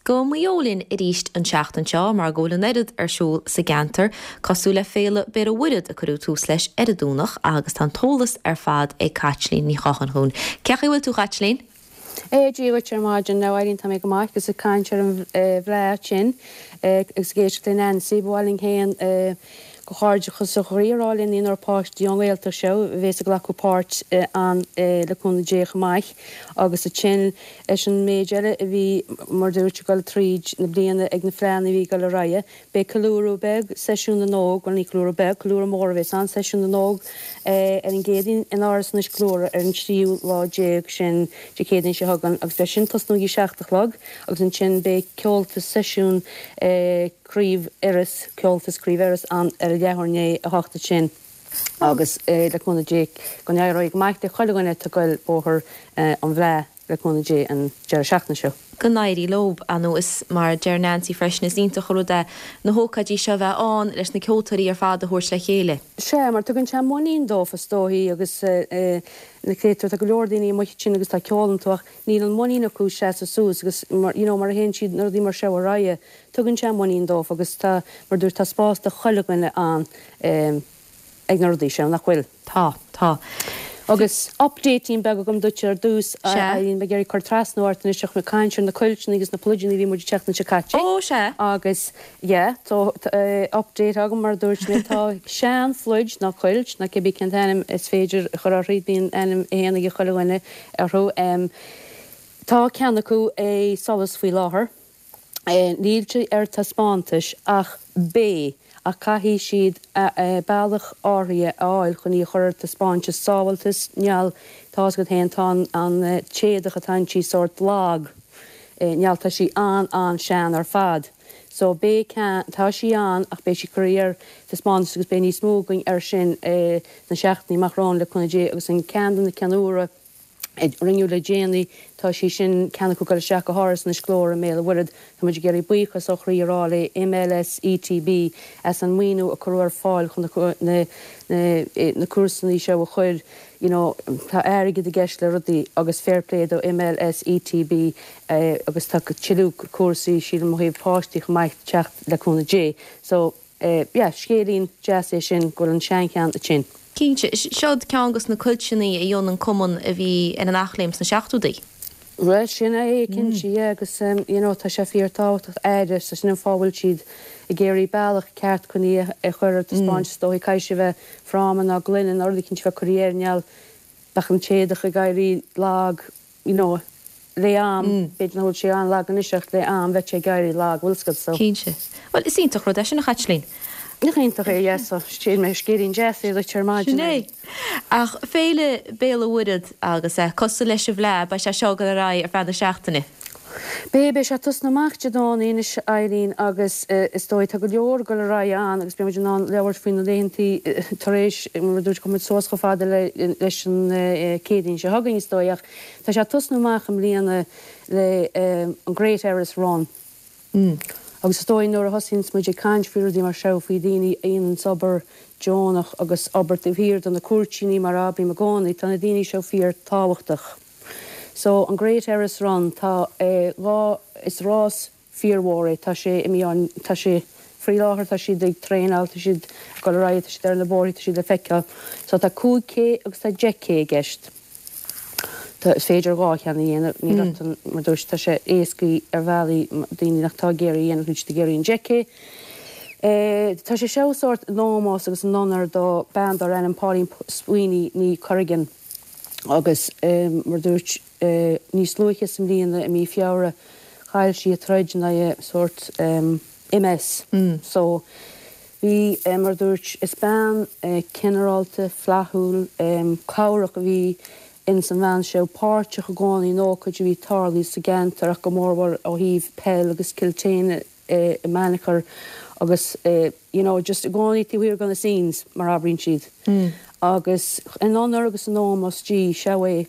Go Maigh Eo linn arís an tseachtain seo mar go bhfuil an oiread ar siúl sa gceantar, cosúil le Féile Béal an Mhuirthead a cuireadh tús leis ar an Domhnach agus tá an t-eolas ar fad ag Caitlín Ní Chatháin chugainn. Cén chaoi a bhfuil tú, a Chaitlín? Dia dhuit ar maidin, a Eileen, tá mé go maith agus ag caint ar an bhFleadh ansin agus ag éisteacht le Nancy, ba mhaith linn féin comhghairdeachas ó chroí a rá le naonúr páistí ón nGaeltacht seo a bhéas ag glacadh páirt ann le cúnamh Dé chomh maith agus ansin leis an méid eile a bhí mar dúirt ag dul tríd na bliana ag na fleadhanna a bhí ag dul ar aghaidh. Beidh ceiliúradh beag, Seisiún na nÓg, bhuel ní ceiliúradh beag, ceiliúradh mór a bhéas ann, Seisiún na nÓg ar an gCéadaoin in Áras an Uisce ar an tríú lá déag sin Dé Céadaoin seo chugainn agus beidh sin tosnú ag a 7 a chlog agus ansin beidh ceoltas seisiún Craobh Iorrais, Ceoltas Craobh Iorrais ann ar a leathuair i ndiaidh a hocht ansin agus le cúnamh Dé go n-éireoidh go maith le chuile dhuine atá ag goil bóthar an Fhleadh le cúnamh Dé an deireadh seachtaine seo. Go n-éirí leo, nó is mar a deir Nancy freisin, is iontach an rud é na hócáidí seo a bheith ann leis na ceoltóirí ar fad a thabhairt le chéile. Sea, mar tugann sé muinín dóibh is dóichí agus na créatúir, tá go leor daoine amuigh ansin agus tá ceol iontu ach níl an muinín acu seasamh suas agus mar, you know, mar a théann siad na rudaí mar seo ar aghaidh, tugann sé muinín dóibh agus tá, mar dúirt, tá spás do chuile dhuine ann ag na rudaí seo, nach bhfuil? Tá, tá. Agus updateín beag agam duit ar dtús, a Eileen, mé ag iarraidh cur trasna ort anois ach mé ag caint ar na cuilteanna agus na pluideanna a bhí muid an tseachtain seo caite. Ó, sea. Agus, yeah, tá update agam mar a dúirt mé, tá sean phluid nó cuilt nó cibé cén t-ainm is féidir a chur uirthi, bíonn ainm féin ag chuile dhuine orthu. Tá ceann acu i Solas faoi láthair. Níl sé ar taispeántais ach beidh, ach caithfidh siad bealach áirithe a fháil chun í a chur ar taispeántas sábháilteas, níl, tá's agat féin, tá an t-éadach atá inti sórt lag, níl, tá sí an-an-sean ar fad. So beidh ceann, tá sí ann ach beidh sí curtha ar taispeántas agus beidh níos mó againn air sin sna seachtainí amach romhainn le cúnamh Dé agus an ceann de na cinn úra, a rinneadh le déanaí. Tá sí sin, ceann acu ag dul isteach go hÁras an Uisce Ghlóir i mBéal an Mhuirthead. Tá muid ag iarraidh buíochas ó chroí a rá le MLS ETB as an maoiniú a cuireadh ar fáil chun na na cúrsaí seo a chur, you know, tá airgead i gceist le rudaí agus fair play do MLS ETB agus tá tuilleadh cúrsaí, sílim, ó thaobh páistí chomh maith ag teacht le cúnamh Dé. So. Yeah, scéilín deas é sin go bhfuil an seancheann ansin. Cinnte. Seod ceann dos na cuilteanna a dhein an cumann a bhí ar an Eachléim sna seachtóidí. Bhuel, sin é, cinnte, yeah, agus you know tá sé fíor tábhachtach aire, so sin an fáth a bhfuil siad ag iarraidh bealach ceart chun í a chur ar taispeáint is dóigh, caithfidh sé a bheith fráma ná gloine ná rud eicínt a bheith curtha air, níl, bheadh an t-éadach ag éirí lag, you know, le am, b'fhéidir nach bhfuil sé an-lag anois ach le am bheadh sé ag éirí lag, bhfuil 's agat, so. Cinnte. Bhuel, is iontach rud é sin, a Chaitlín. Nach iontach é, yeah, so, sin mé, scéilín deas é duit ar maidin. Sin é. Ach Féile Béal an Mhuirthead agus eh, cosúil leis an bhFleadh, beidh sé seo ag dul ar aghaidh ar feadh na seachtaine. Beidh, beidh sé ag tosnú amach Dé Domhnaigh anois, Eileen, agus is dóigh tá go leor ag dul ar aghaidh ann agus beidh muid in ann labhairt faoi na laethantaí tar éis, mar a dúirt, gabhfaidh muid suas chomh fada le leis an Céadaoin seo chugainn is dóigh ach tá sé ag tosnú amach i mbliana le an Great Erris Run. Agus is dóigh nuair a thosaíonns muid ag caint faoi rudaí mar seo, faoi daoine a dhéananns obair deonach agus obair taobh thiar de na cúirtíní mar a abraím i gcónaí, tá na daoine seo fíor tábhachtach. So, an Great Erris Run, tá lá, is rás fíormhór é, tá sé imithe an, tá sé, faoi láthair tá siad ag traenáil, tá siad ag dul ar aghaidh, tá siad ar na bóithre, tá siad le feiceáil. So tá 5 K agus tá 10 K i gceist. Tá, is féidir dhá cheann a dhéanamh, níl ort an, mar dúirt, tá sé éascaí ar bhealaí daoine nach tá ag iarraidh a dhéanamh, níl siad ag iarraidh an 10 K. Tá sé seo sórt in ómós agus in onóir do bean darbh ainm Pauline Sweeney ní Corrigan. Agus mar a dúirt, níos luaithe sa mbliana, i mí Feabhra, chaill sí a troid in aghaidh sórt MS. So, bhí, mar a dúirt, is bean cineálta, flaithiúil, cabhrach a bhí ins an bhean seo, páirteach i gcónaí in ócáid a bhí ag tarlú sa gceantar ach go mórmhór ó thaobh peil agus Cill tSéadhna i mBeannchar agus you know just i gcónaí taobh thiar de na scenes mar a abraíonn siad. Agus in onóir agus in ómós di, seo é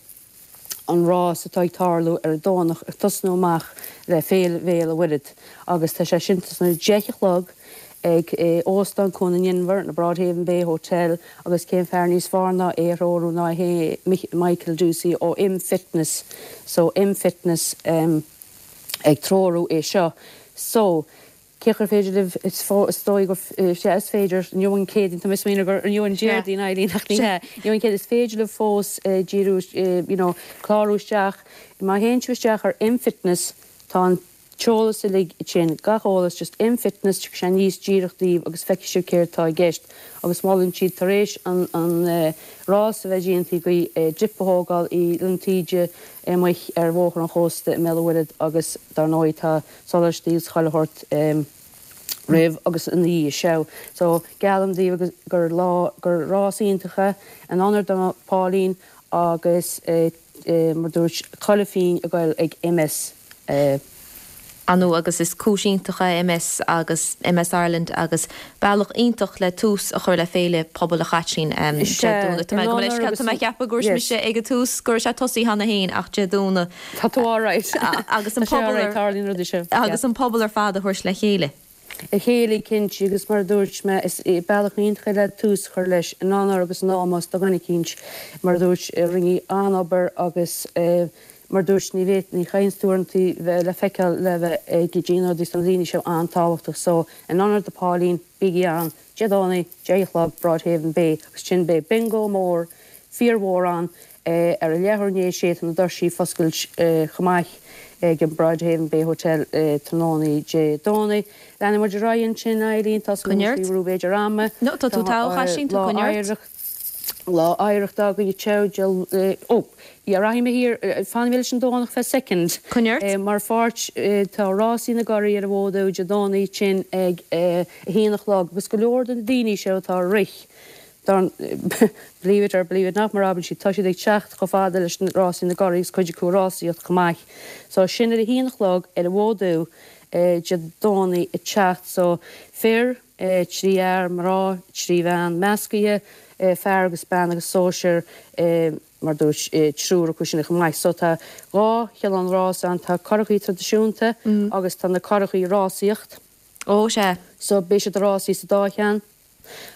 an rás atá ag tarlú ar an Domhnach ag tosnú amach le Féile Bhéal an Mhuirthead agus tá sé sin tosnú ag 10 a chlog ag Óstán Cuan an Inbhir, na Broadhaven Bay Hotel agus cén fear níos fearr ná é a threorú ná é Michael Ducey ó M Fitness so M Fitness. Ag treorú é seo. So, cén chaoi ar féidir libh, is dóigh gur, sea, is féidir, inniu an Céadaoin, tá mé ag smaoineamh gur inniu an Déardaoin, Eileen, ach ní hea, inniu an Céadaoin, is féidir libh fós díriú, you know, clárú isteach, má théann sibh isteach ar MFitness, tá an t-eolas uilig ansin, gach eolas, just MFitness, tiocfaidh sé aníos díreach daoibh agus feicfidh sibh céard atá i gceist. Agus molann siad tar éis an rás a bheith déanta agaibh, dip a thógáil i Linn Taoide amuigh ar Bhóthar an Chósta i mBéal an Mhuirthead agus dar ndóigh tá soláistí agus chuile shórt roimh agus ina dhiaidh seo. So geallaim daoibh gur lá, gur rás iontach é in onóir do Pauline agus mar dúirt chuile phingin ag goil ag MS. Ar ndóigh agus is cúis iontach é MS agus MS Ireland agus bealach iontach le tús a chur le féile pobail a Chaitlín Dé Domhnaigh. Tá mé gabh mo leithscéal, tá mé ag ceapadh go raibh mise ag an tús go raibh sé tosaithe cheana féin ach Dé Domhnaigh. Tá tú alright. Agus an pobal ar, tarlaíonn rudaí seo. Agus an pobal ar fad a thabhairt le chéile. A chéile cinnte agus mar a dúirt mé is bealach iontach é le tús a chur leis in onóir agus in ómós do dhuine eicínt mar a dúirt a rinne an-obair agus Mar dúirt, ní bhféad, ní chailleann tú uaireantaí bheith le feiceáil le bheith ag déanamh rudaí do na daoine seo an-tábhachtach so in onóir do Pauline, bígí ann, Dé Domhnaigh, 10 a chlog, Broadhaven Bay agus ansin beidh bingo mór, fíormhór ann ar a leathuair i ndiaidh a sé tá na doirsí ag foscailt chomh maith ag an Broadhaven Bay Hotel tráthnóna Dé Domhnaigh. Leanfaidh muid ar aghaidh ansin, Eileen, tá súil agam faoi b'fhéidir ama. No, tá tú togha, a Chaitlín, tá coinne ort. Lá Oidhreachta againn anseo, ó, yeah, rachaidh mé thiar, fanfaidh mé leis an Domhnach feadh soicind. Coinnigh ort. Mar pháirt, tá Rásaí na gCuraí ar an bhfód Dé Domhnaigh sin ag a haon a chlog agus go leor de na daoine seo atá ag rith, believe it or believe it not mar a abraíonn siad, tá siad ag teacht chomh fada leis na Rásaí na gCuraí agus cuid acu ag rásaíocht chomh maith. So sin ar a haon a chlog ar an bhfód Dé Domhnaigh ag teacht. So fir. 3 fhear, mná, 3 bhean, meascaithe, fear agus bean agus sóisear, mar dúirt, triúr acu sin chomh maith. So tá dhá chineál rás ann, tá curachaí traidisiúnta agus tá na curachaí rásaíocht. Ó, sea. So beidh siad ag rásaí sa dá cheann.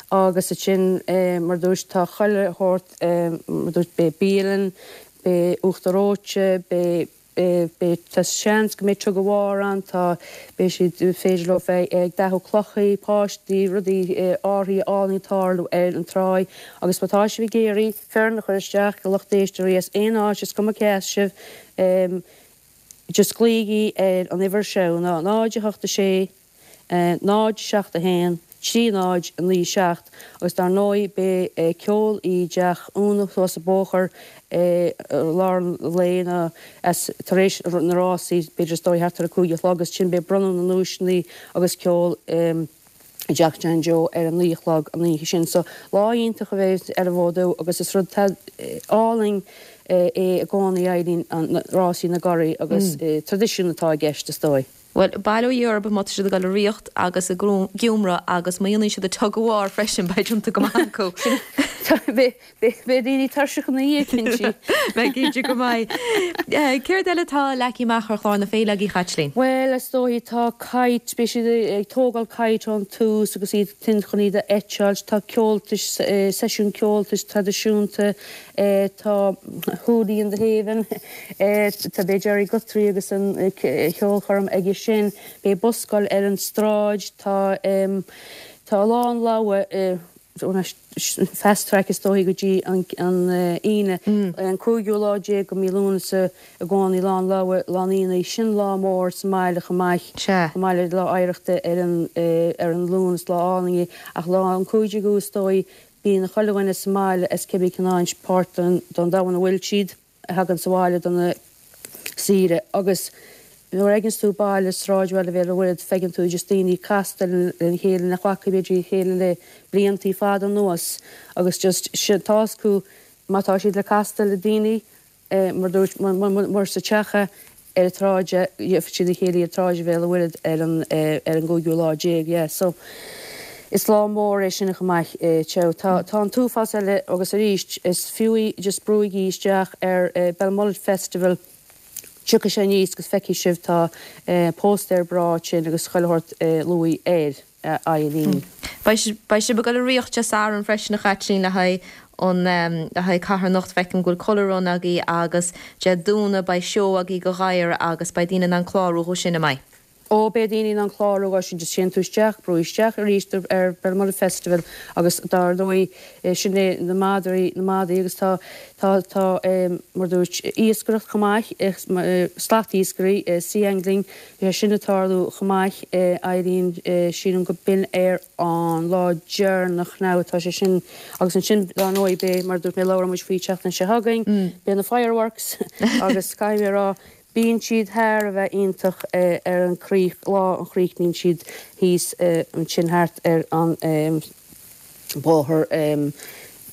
Agus ansin, mar dúirt, tá chuile shórt, mar dúirt, beidh bialann, beidh uachtar reoite, beidh. Beidh, tá seans go mbeidh tug of war ann, tá, beidh siad, féidir leo bheith ag dathú clochaí, páistí, rudaí, árthaí álainn ag tarlú ar an tráigh agus má tá sibh ag iarraidh foireann a chur isteach do lucht éisteoirí as aon áit, is cuma cé as sibh, just glaoigí ar an uimhir seo, ná 0 8 6 0 7 1 3 0 9 7 agus dar ndóigh beidh ceol i dteach Úna thuas an bóthar i lár an lae nó as tar éis na rásaí b'fhéidir is dóigh thart ar a 5 a chlog agus ansin beidh bronnadh na nduaiseanna agus ceol i dteach Jan Joe ar a 9 a chlog an oíche sin. So lá iontach a bheidh ar an bhfód agus is rud álainn é i gcónaí Eileen an rásaí na gcuraí agus traidisiún atá i gceist is dóigh. Bhuel, bail ó Dhia orthu má tá siad ag dul ag ritheacht agus ag giúmradh agus má dhéanann siad an tug of war freisin, beidh déanta go maith acu. Beidh daoine tuirseach ina dhiaidh, cinnte. Beidh cinnte go mbeidh. Céard eile atá leagtha amach ar chlár na féile agaibh, a Chaitlín? Bhuel, is dóigh, tá kite, beidh siad ag tógáil kite ón tús agus iad tinn chun iad a eiteáilt, tá ceoltais, seisiún ceoltais traidisiúnta, tá Hoolie and the Haven, Tá beidh Gerry Guthrie agus an cheolchoirm aige sin. Beidh buscáil ar an stráid. Tá tá a lán leabhar fast track is dóigh go dtí an Aoine. An cúigiú lá déag de mí Lúnasa i gcónaí Lá an Leabhair, Lá an Aonaigh. Sin lá mór sa mbaile chomh maith. Chomh maith le Lá Oidhreachta ar an ar an Luan is lá álainn é. Ach lá an cúigiú is dóigh bíonn chuile dhuine sa mbaile as cibé cén páirt den domhan a bhfuil siad. a thagann sa bhaile do na saoire agus nuair a fheiceanns tú baile, sráidbhaile Bhéal an Mhuirthead, feiceann tú just daoine casta lena chéile nach bhfaca b'fhéidir a chéile le bliantaí fada anuas agus just sin tá 'fhios acu má tá siad le castáil le daoine mar dúirt mura sa teach é ar an tsráid gheobhaidh siad a chéile ar tsráid Bhéal an Mhuirthead ar an ar an gcúigiú lá déag yeah so is lá mór é sin chomh maith teo tá tá an t-uafás eile agus arís is fiú í just brúigí isteach ar Belmullet Festival tiocfaidh sé aníos agus feicfidh sibh tá póstaer breá ansin agus chuile shórt luaite air. Eileen. Beidh sibh ag dul ag ritheacht Dé Sathairn freisin a Chaitlín le haghaidh. An le haghaidh carthanacht, feicim go bhfuil Colour Run agaibh agus Dé Domhnaigh beidh seó agaibh do ghadhair agus beidh daoine in ann clárú dhó sin, an mbeidh? Ó, beidh daoine in ann clárú dhó sin, just téann tú isteach, brúigh isteach arís ar Béal Festival agus dar ndóigh sin é na madraí, na madaí agus tá, tá, tá mar dúirt, iascaireacht chomh maith, slat iascairí, sea angling, beidh sé sin ag tarlú chomh maith, Eileen, sílim go b'in ar an lá deireanach now atá sé sin agus ansin dar ndóigh beidh, mar a dúirt mé, labhróidh muid faoi tseachtain seo chugainn, beidh na fireworks agus caithfidh mé a rá, bíonn siad thar a bheith iontach ar an críoch, lá a chríochnaíonn siad thíos ansin thart ar an bóthar,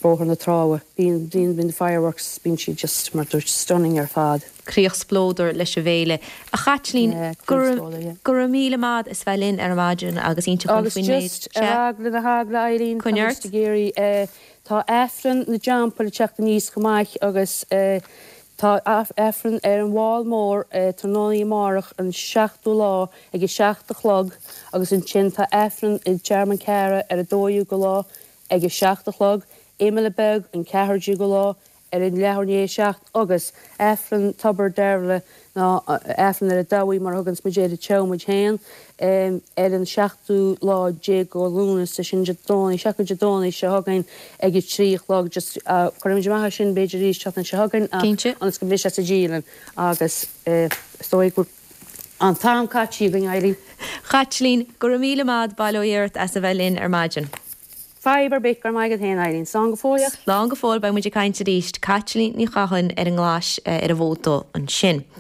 Bóthar na Trá. Bíonn, bíonn, bíonn na fireworks, bíonn siad just, mar dúirt, stunning ar fad. Críoch spleodair leis an bhféile. A Chaitlín, Yeah, go críoch raibh, spleodair, yeah. go raibh míle maith as bheith linn ar maidin agus inse dhúinn Agus faoin méid. just ar eagla na heagla, Eileen, Coinnigh tá ort. muid ag iarraidh, eh, tá Aifreann na dTeampall ag teacht aníos chomh maith agus, eh, tá Aifreann ar an bhFál Mór, eh, tráthnóna amárach an seachtú lá ag a seacht a chlog agus ansin tá Aifreann i dTearmann Ceara ar an dóú go lá ag a 7 a chlog, Imeall Beag an 14ú lá ar an leathuair i ndiaidh a 7 agus Aifreann Tobar Deirbhile nó Aifreann ar an Dabhaigh mar a thuganns muid air i dTeamhair muid féin ar an seachtú lá déag go Lúnasa, sin Dé Domhnaigh, seachtain Dé Domhnaigh seo chugainn ag a 3 a chlog just cuirfimid amach é sin b'fhéidir arís seachtain seo chugainn ach Cinnte. ionas go mbeidh sé sa dialann agus is dóigh go An t-am caite againn, Eileen. Chaitlín, go raibh míle maith, bail ó Dhia ort as a bheith linn ar maidin. Fadhb ar bith, go raibh maith agat féin, Eileen. Slán go fóill. Slán go fóill, beidh muid ag caint arís. Caitlín Ní Chatháin ar an nGlais ar an bhfód dubh ansin.